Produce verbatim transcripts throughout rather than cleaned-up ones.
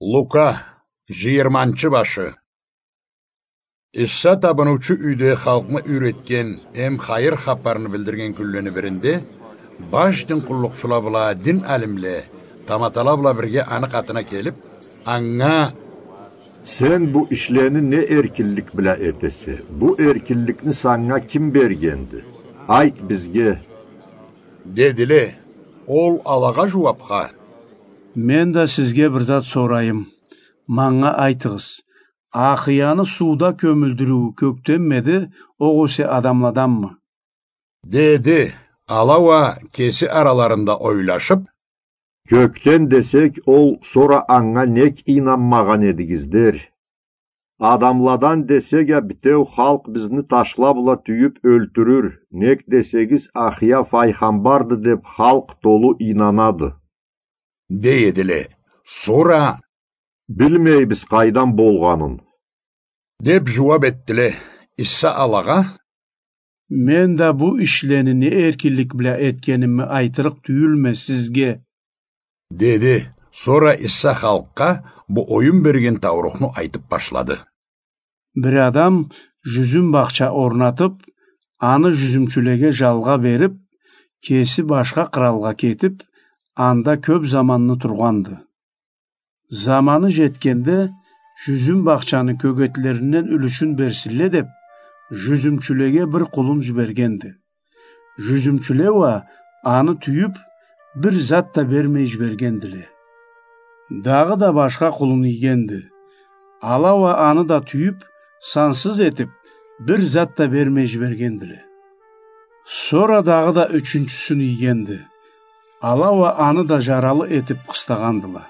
Лука, жыйырманчы башы. Иса табыныучу юйде халкъны юйретген эм хайыр хапарны билдирген кюнлени биринде баш дин къуллукъчула бла дин алимле таматала бла бирге аны къатына келип, анга: «Сен бу ишлени не эркинлик бла этесе? Бу эркинликни санга ким бергенди? Айт бизге», — дедиле. Ол алагъа жууапха: «Мен да сизге бир зат сорайым. Манга айтыгъыз, ахыяны сууда кёмюлдюрюу кёкденмеди, огъесе адамладанмы?» — деди. Ала уа кеси араларында ойлашып: «Кёкден десек, ол сора анга нек ийнанмагъан эдигиз дер. Адамладан десек а, битеу халкъ бизни ташла бла тюйюп ёлтюрюр, нек десегиз, ахыя файгъамбарды деп, халкъ толу ийнанады», — дей эдиле. Сора: «Билмейбиз къайдан болгъанын», — деп жууап этдиле. Иса алагъа: «Мен да бу ишлени не эркинлик бла этгенимми айтырыкъ тюйюлме сизге», — деди. Сора Иса халкъгъа бу оюн берген таурухну айтып башлады. Бир адам жюзюм бахча орнатып, аны жюзюмчюлеге жалгъа берип, кеси башха къыралгъа кетип, анда кёп заманны тургъанды. Заманы жетгенде, жюзюм бахчаны кёгетлеринден юлюшюн берсинле деп, жюзюмчюлеге бир къулун жибергенди. Жюзюмчюле уа аны тюйюп, бир зат да бермей жибергендиле. Дагъыда башха къулун ийгенди. Ала уа аны да тюйюп, сансыз этип, бир зат да бермей жибергендиле. Сора дагъыда ючюнчюсюн ийгенди. Ала уа аны да жаралы этип къыстагъандыла.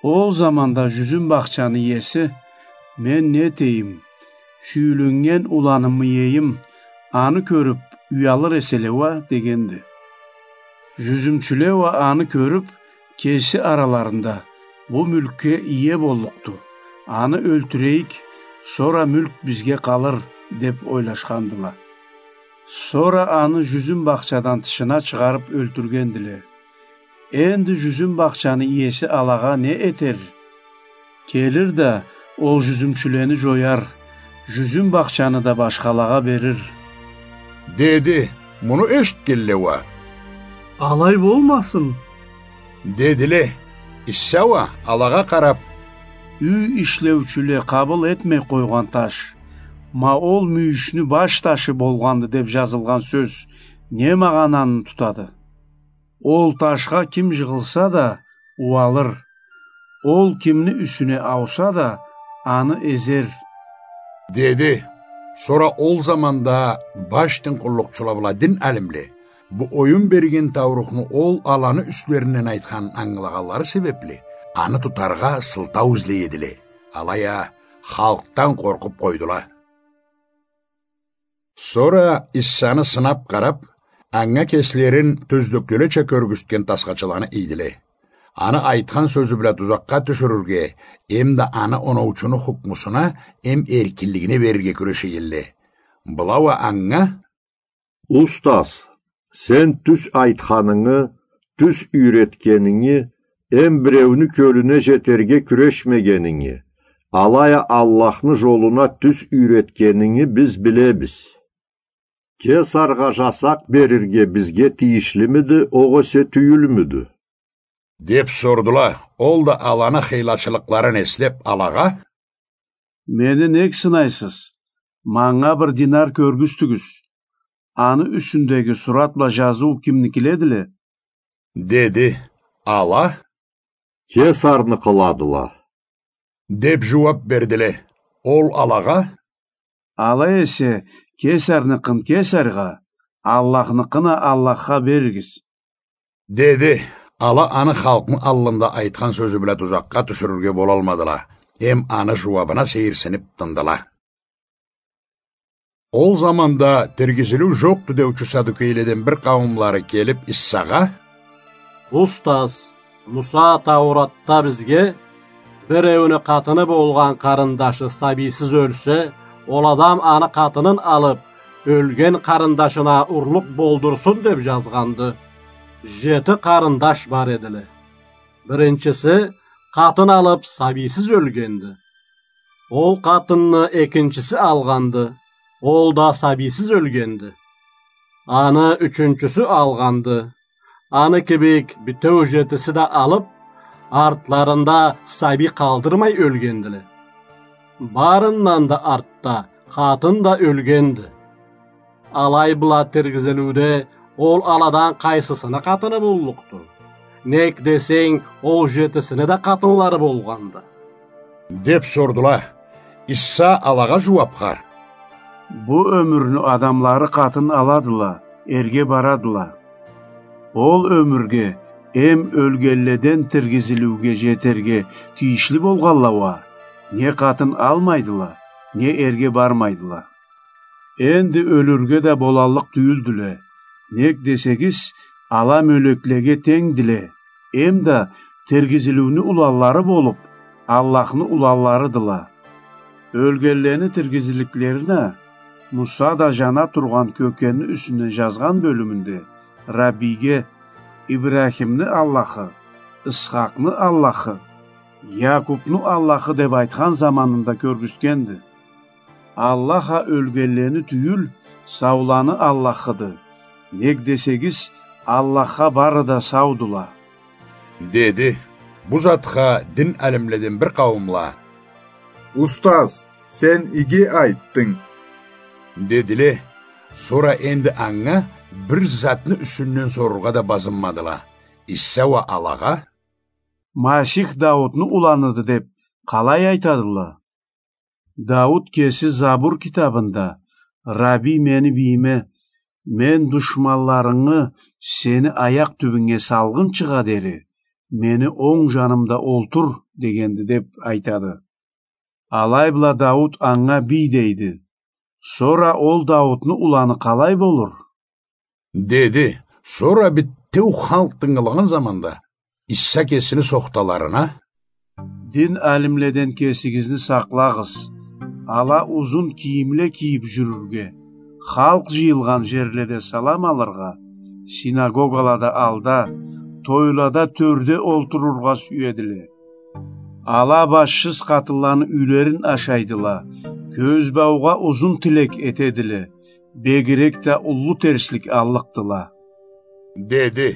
Ол заманда жюзюм бахчаны иеси: «Мен не этейим? Сюйюленнген уланымы иейим, аны кёрюп, уялыр эселе уа», — дегенди. Жюзюмчюле уа аны кёрюп, кеси араларында: «Бу мюлкге ие боллукъду. Аны ёлтюрейик, сора мюлк бизге къалыр», — деп ойлашхандыла. Сора аны жюзюм бахчадан тышына чыгъарып ёлтюргендиле. Энди жюзюм бахчаны иеси алагъа не этер? Келир да, ол жюзюмчюлени жояр, жюзюм бахчаны да башхалагъа берир, — деди. Муну эшитгенле уа: «Алай болмасын», — дедиле. Иса уа алагъа къарап: «Юй ишлеучюле къабыл этмей къойгъан таш, ма ол мюйюшню баш ташы болгъанды деп жазылгъан сёз не магъананы тутады? Ол ташха ким жыгъылса да, уалыр. Ол кимни юсюне ауса да, аны эзер», — деди. Сора ол заманда баш дин къуллукъчула бла дин алимле бу оюн берген таурухну ол аланы юслеринден айтханын ангылагъанлары себепли, аны тутаргъа сылтау излей эдиле. Алай а халкъдан къоркъуп къойдула. Сора Иссаны сынап къарап, анга кеслерин тёздеклелеча кёргюзтген тасхачыланы ийдиле. Аны айтхан сёзю бла тузакъгъа тюшюрюрге, эмда аны оноучуну хукмусуна эм эркинлигине берирге кюреше эдиле. Была уа анга: «Устаз, сен тюз айтханынгы, тюз юйретгенинги, эм биреуню кёлюне жетерге кюрешмегенинги, алай а Аллахны жолуна тюз юйретгенинги биз билебиз. Кесаргъа жасакъ берирге бизге тийишлимиди, огъесе тюйюлмюдю?» — деп сордула. Ол да аланы хыйлачылыкъларын эслеп, алагъа: «Мени нек сынайсыз? Манга бир динар кёргюзтюгюз. Аны юсюндеги сурат бла жазыу кимникиледиле?» — деди. Ала: «Кесарныкъыладыла», — деп жууап бердиле. Ол алагъа: «Алай эсе, кесарныкъын кесаргъа, Аллахныкъын а Аллахха беригиз», — деди. Ала аны халкъны аллында айтхан сёзю бла тузакъгъа тюшюрюрге болалмадыла, эм аны жууабына сейирсинип тындыла. Ол заманда тиргизилиу жокъду деучю садукейледен бир къауумлары келип Иссагъа: «Устаз, Муса Тауратда бизге, биреуню къатыны болгъан къарындашы сабийсиз ёлсе, ол адам аны къатынын алып, ёлген къарындашына урлукъ болдурсун деп жазгъанды. Жети къарындаш бар эдиле. Биринчиси Къатын алыб, сабийсиз ёлгенди. Ол къатынны экинчиси алгъанды, ол да сабийсиз ёлгенди. Аны ючюнчюсю алгъанды. Аны кибик бютеу жетиси да алыб, артларында сабий къалдырмай ёлгендиле. Барындан да артда къатын да ёлгенди. Алай бла тиргизилиуде ол аладан къайсысыны къатыны боллукъду? Нек десенг, ол жетисини да къатынлары болгъанды. Деп сордула. Иса алагъа жууапха: Бу ёмюрню адамлары къатын аладыла, эрге барадыла. Ол ёмюрге эм ёлгенледен тиргизилиуге жетерге тийишли болгъанла уа не къатын алмайдыла, не эрге бармайдыла. Энди ёлюрге да болаллыкъ тюйюлдюле. Нек десегиз, ала мёлеклеге тенгдиле, эм да тиргизилиуню уланлары болуб, Аллахны уланларыдыла. Ёлгенлени тиргизилликлерин а Муса да жана тургъан кёкенни юсюнден жазгъан бёлюмюнде Раббийге: Ибрахимни Аллахы, Исхакъны Аллахы, Якъубну Аллахы деп айтхан заманында кёргюзтгенди. Аллах а ёлгенлени тюйюл, сауланы Аллахыды. Нек десегиз, Аллахха бары да саудула. Деди бу затха дин алимледен бир къауумла. Устаз, сен иги айтдынг, дедиле. Сора энди анга бир затны юсюнден сорургъа да базынмадыла. Иса уа алагъа: Масих Даутну уланыды деп къалай айтадыла? Дауут кеси Забур китабында: «Рабий мени бийиме: „Мен душманларынгы сени аякъ тюбюнге салгъынчыгъа дери мени онг жанымда олтур“, — дегенди», — деп айтады. Алай бла Дауут анга бий дейди. Сора ол Дауутну уланы къалай болур? Деди. Сора бютеу халкъ тынгылагъан заманда Иса кесини сохталарына: «Дин алимледен кесигизни сакълагъыз. Ала узун кийимле кийип жюрюрге, халкъ жыйылгъан жерледе салам алыргъа, синагогалада алда, тойлада тёрде олтурургъа сюедиле. Ала башсыз къатынланы юйлерин ашайдыла, кёзбаугъа узун тилек этедиле, бегирек да уллу терслик аллыкъдыла», — деди.